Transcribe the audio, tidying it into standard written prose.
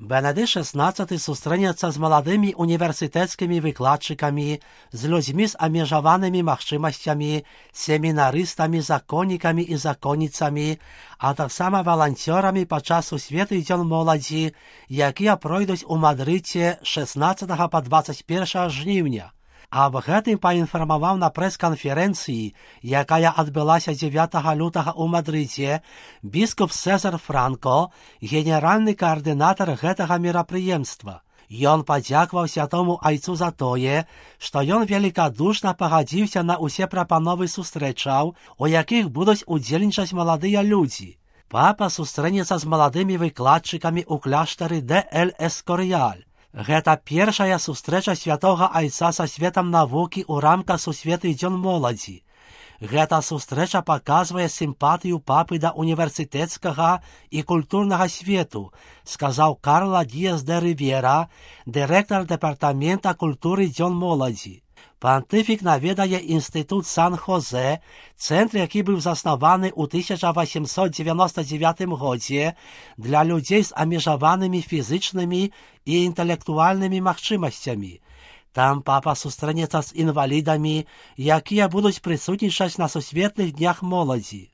Бенедикт XVI сустрэнецца з маладымі універсітэцкімі выкладчыкамі, з людзьмі з абмежаванымі магчымасцямі, семінарыстамі, законнікамі і законніцамі, а таксама валанцёрамі падчас Сусветны дзень моладзі, якія пройдуць у Мадрыдзе 16 па 21 жніўня. Аб гэтым паінфармаваў на прэс-канферэнцыі, якая адбылася 9 лютага ў Мадрыдзе, біскуп Цэзар Франко, генеральны каардынатар гэтага мерапрыемства. Ён падзякаваў святому айцу за тое, што ён велікадушна пагадзіўся на ўсе прапановы сустрэчаў, у якіх будуць удзельнічаць маладыя людзі. Папа сустрэнецца з маладымі выкладчыкамі ў кляштары де Эль-Эскоріяль. Гэта першая сустрэча святога айца са светам навукі ў рамках Сусветны дзень моладзі. Гэта сустрэча паказвае сімпатыю папы да універсітэцкага і культурнага свету, сказаў Карла Діас де Рівера, дырэктар дэпартамента культуры дзень моладзі. Пантыфік наведае інстытут Сан-Хозе, цэнтр, які быў заснаваны ў 1899 годзе для людзей з абмежаванымі фізычнымі і інтэлектуальнымі магчымасцямі. Там папа сустрэнецца з інвалідамі, якія будуць прысутнічаць на Сусветных днях моладзі.